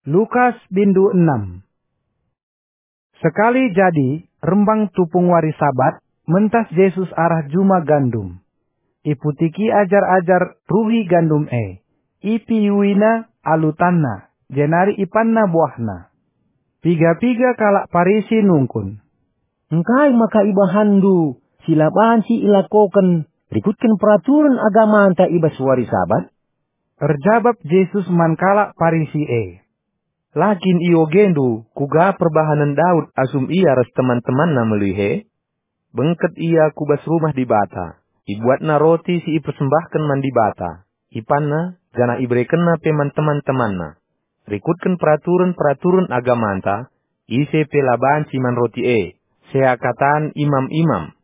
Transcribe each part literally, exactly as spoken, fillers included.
Lukas bindu enam. Sekali jadi, rembang tupung wari Sabat, mentas Jesus arah juma gandum. Iputiki ajar-ajar ruhi gandum e, ipiyuina alu tanna, jenari ipanna buahna. Piga-piga kalak Parisi nungkun, "Engkai maka ibahanndu si la banci ilakoken rikutken peraturen agamanta i bas wari Sabat?" Erjabap Jesus man kalak Parisi e, "La kin iogendu kuga perbahanen Daud asum ia ras teman-temanna melihe? Bengket ia ku bas rumah Dibata, ibuatna roti si ipersembahken man Dibata, ipanna, janah iberekenna pe man teman-temanna. Rikutken peraturen-peraturen agamanta, ise pe la banci man roti e, seakatan imam-imam."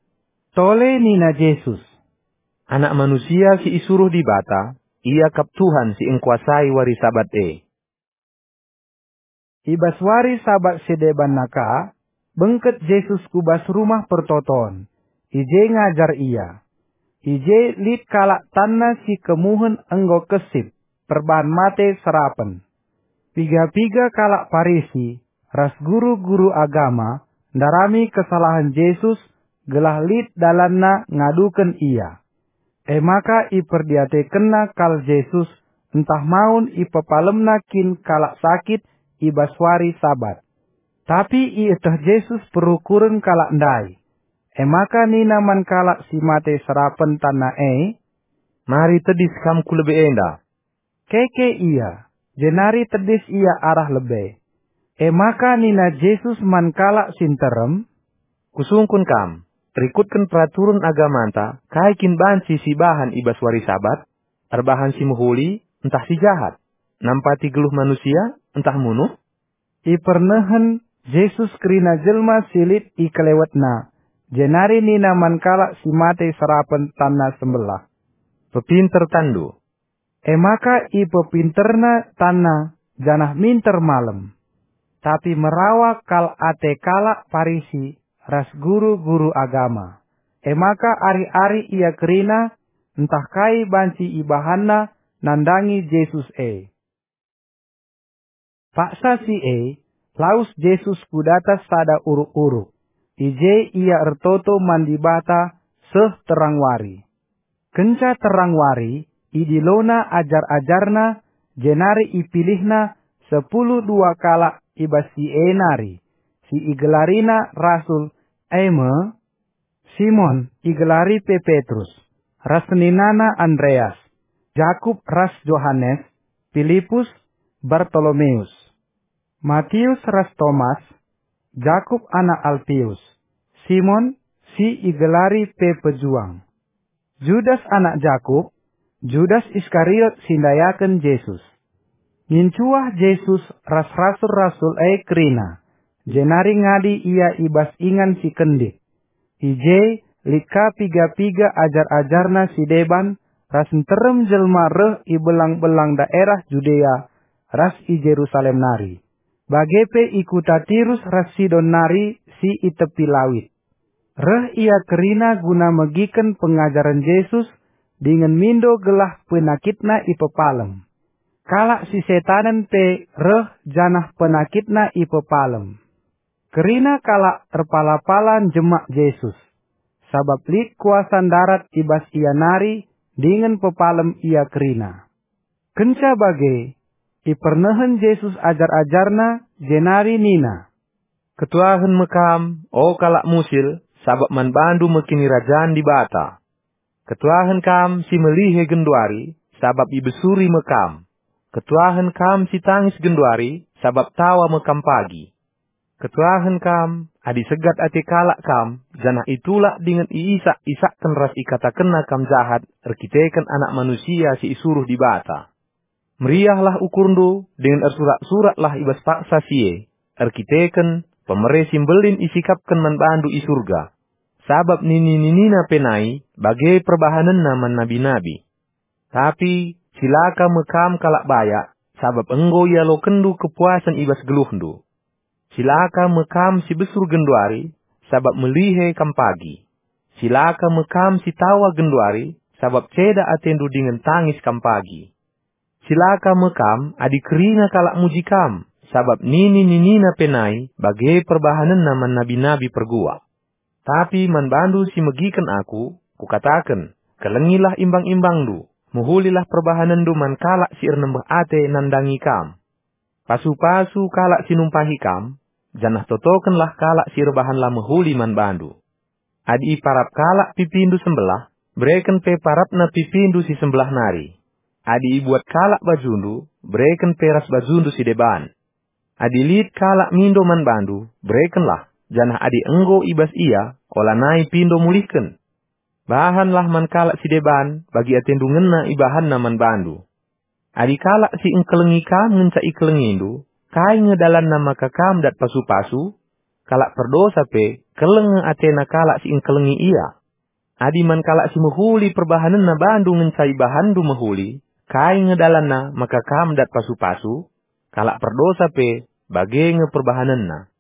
Tole nina Jesus, "Anak Manusia si isuruh Dibata, Ia kap Tuhan si engkuasai wari Sabat e." I bas wari Sabat si debanna ka, bengket Jesus ku bas Rumah Pertoton. I je ngajar Ia. I je lit kalak tanna si kemuhen enggo kesip, perbahan mate serapen. Piga-piga kalak Parisi ras guru-guru agama ndarami kesalahen Jesus gelah lit dalanna ngaduken Ia. E maka iperdiatekenna kal Jesus ntah maun ipepalemna kin kalak sakit i bas wari Sabat. Tapi ieteh Jesus perukuren kalak ndai. E maka nina man kalak si mate serapen tanna e, "Mari tedis kam ku lebe enda." Keke ia, jenari tedis ia arah lebe. E maka nina Jesus man kalak si nterem, "Kusungkun kam, rikutken peraturen agamanta, kai kin banci sibahan i bas wari Sabat? Erbahan si mehuli ntah si jahat? Nampati geluh manusia ntah munuh?" Ipernehen Jesus kerina jelma si lit i kelewetna, jenari nina man kalak si mate serapen tanna sembelah, "Pepinter tanndu." E maka ipepinterna tanna janah minter malem. Tapi merawa kal ate kalak Parisi ras guru-guru agama. E maka arih-arih ia kerina ntah kai banci ibahanna nandangi Jesus e. Paksa si e, lawes Jesus ku datas sada uruk-uruk. I je ia ertoto man Dibata seh terang wari. Kenca terang wari, idilona ajar-ajarNa, jenari ipilihNa sepuluh dua kalak i bas si e nari, si igelarina rasul, e me: Simon, igelari pe Petrus, ras seninana Andreas, Jakup ras Johanes, Pilipus, Bartolomeus, Matius ras Tomas, Jakup anak Alpius, Simon, si igelari pe Pejuang, Judas anak Jakup, Judas Iskariot si ndayaken Jesus. Ngincuah Jesus ras rasul-rasul e kerina, jenari ngadi Ia i bas ingan si kendik. I je lit ka piga-piga ajar-ajarNa si deban ras nterem jelma reh i belang-belang daerah Judea ras i Jerusalem nari, bage pe i kuta Tirus ras Sidon nari si i tepi lawit. Reh ia kerina guna megiken pengajaren Jesus dingen mindo gelah penakitna ipepalem. Kalak si setanen pe reh janah penakitna ipepalem. Kerina kalak erpala-pala njemak Jesus, sabap lit kuasa ndarat i bas Ia nari dingen pepalem ia kerina. Kenca bage, ipernehen Jesus ajar-ajarNa, jenari nina, "Ketuahen me kam, o kalak musil, sabap man bandu me Kinirajan Dibata. Ketuahen kam si melihe genduari, sabap ibesuri me kam. Ketuahen kam si tangis genduari, sabap tawa me kam pagi. Ketuahen kam, adi segat ate kalak kam, janah itulak dingen iisak-isakken ras ikatakenna kam jahat erkiteken Anak Manusia si isuruh Dibata. Meriahlah ukurndu dingen ersurak-suraklah i bas paksa si e, erkiteken pemere si mbelin isikapken man bandu i Surga. Sabap nini-ninina pe nai bage perbahanenna man nabi-nabi. Tapi cilaka me kam kalak bayak, sabap enggo ialokenndu kepuasen i bas geluhndu. Cilaka me kam si besur genduari, sabap melihe kam pagi. Cilaka me kam si tawa genduari, sabap ceda atendu dingen tangis kam pagi. Cilaka me kam adi kerina kalak muji kam, sabap nini-ninina pe nai bage perbahanenna man nabi-nabi perguak. Tapi man bandu si megiken aku, kukataken, kelengilah imbang-imbangndu, mehulilah perbahanenndu man kalak si ernembeh ate nandangi kam. Pasu-pasu kalak si numpahi kam, janah totokenlah kalak si erbahan la mehuli man bandu. Adi iparap kalak pipindu sembelah, bereken pe parapna pipindu si sembelah nari. Adi ibuat kalak bajundu, bereken pe ras bajundu si deban. Adi lit kalak mindo man bandu, berekenlah, janah adi enggo i bas ia, olanai pindo mulihken. Bahanlah man kalak si deban bagi atendu ngena ibahanna man bandu. Adi kalak si engkelengi kam ngenca ikelengindu, kai nge dalanna maka kam dat pasu-pasu? Kalak perdosa pe, keleng nge atena kalak si engkelengi ia. Adi man kalak si mehuli perbahanenna bandu ngenca ibahanndu mehuli, kai nge dalanna maka kam dat pasu-pasu? Kalak perdosa pe, bage nge perbahanenna.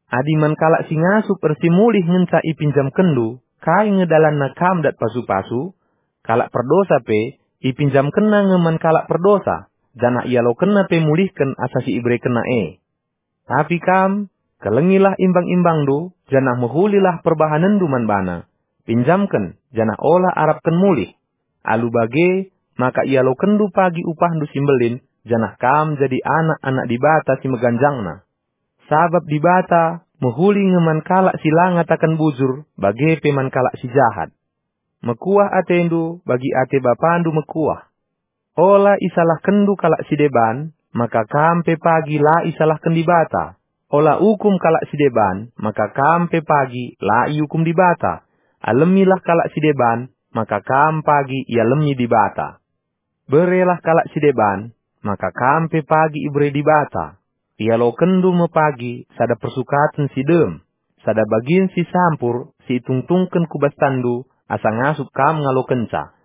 Adi man kalak si ngasup ersimulih ngenca ipinjamkenndu, kai nge dalanna kam dat pasu-pasu? Kalak perdosa pe, ipinjamkenna nge man kalak perdosa, janah ialokenna pe mulihken asa si iberekenna e. Tapi kam, kelengilah imbang-imbangndu, janah mehulilah perbahanenndu man bana. Pinjamken, janah ola arapken mulih. Alu bage, maka ialokenndu pagi upahndu si mbelin, janah kam jadi anak-anak Dibata si meganjangna. Sabap Dibata mehuli nge man kalak si la ngataken bujur, bage pe man kalak si jahat. Mekuah atendu bagi ate bapandu mekuah. Ola isalahkenndu kalak si deban, maka kam pe pagi la isalahken Dibata. Ola ukum kalak si deban, maka kam pe pagi la iukum Dibata. Alemilah kalak si deban, maka kam pagi ialemi Dibata. Berelah kalak si deban, maka kam pe pagi ibere Dibata. Ialokenndu me pagi sada persukaten si dem, sada bagin si sampur si itungtungken ku bas tanndu asa ngasup kam ngalokenca.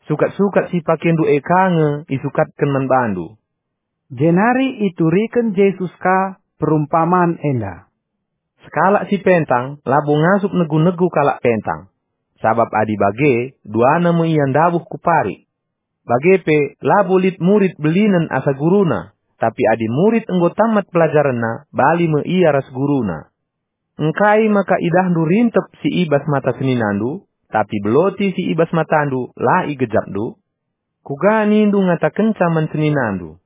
Sukat-sukat si pakendu e ka nge isukatken man bandu. Jenari ituriken Jesus ka perumpaman enda. Sekalak si pentang labo ngasup negu-negu kalak pentang, sabap adi bage, duana me ia ndabuh ku parik. Bage pe, labo lit murid belinen asa guruna, tapi adi murid enggo tamat pelajarenna, bali me ia ras guruna. Engkai maka idahndu rintep si i bas mata seninandu, tapi beloti si i bas matandu la igejapndu? Kuga nindu ngatakenca man seninandu,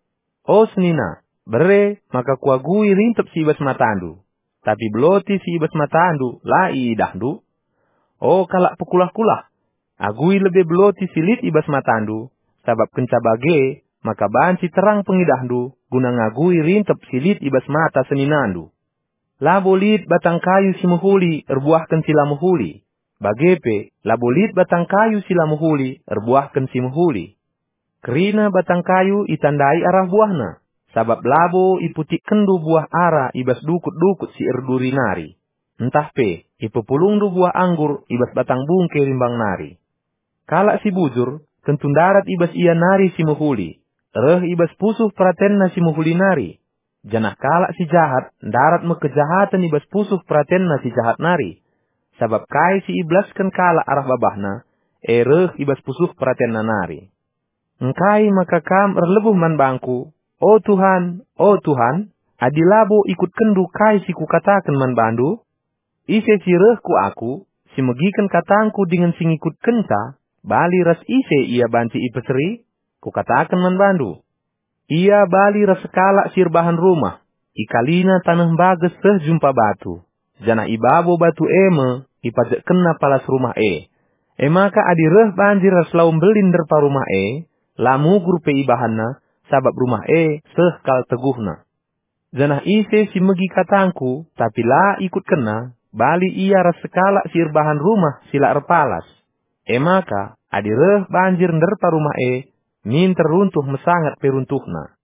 "O senina, bere maka kuagui rintep si i bas matandu," tapi beloti si i bas matandu la iidahndu? O kalak pekulah-kulah, agui lebe beloti si lit i bas matandu, sabap kenca bage maka banci terang pengidahndu guna ngagui rintep si lit i bas mata seninandu. Labo lit batang kayu si mehuli erbuahken si la mehuli, bage pe labo lit batang kayu si la mehuli erbuahken si mehuli. Kerina batang kayu itandai arah buahna, sabap labo iputikkenndu buah ara i bas dukut-dukut si erduri nari, ntah pe ipepulungndu buah anggur i bas batang bungke rimbang nari. Kalak si bujur tentu ndarat i bas ia nari si mehuli, reh i bas pusuh peratenna si mehuli nari. Janah kalak si jahat ndarat me kejahaten i bas pusuh peratenna si jahat nari, sabap kai si ibelasken kalak arah babahna, e reh i bas pusuh peratenna nari. Engkai maka kam erlebuh man bangku, "O Tuhan, o Tuhan," adi labo ikutkenndu kai si kukataken man bandu? Ise si reh ku aku, si megiken katangku dingen si ngikutkenca, bali ras ise ia banci ipeseri? Kukataken man bandu, ia bali ras sekalak si erbahan rumah, ikalina taneh mbages seh jumpa batu, janah i babo batu e me ipajekkenna palas rumah e. E maka adi reh banjir ras lau mbelin nderpa rumah e, la mugur pe ibahanna, sabap rumah e seh kal teguhna. Janah ise si megi katangku, tapi la ikutkenna, bali ia ras sekalak si erbahan rumah si la erpalas. E maka, adi reh banjir nderpa rumah e, minter runtuh mesangat pe runtuhna.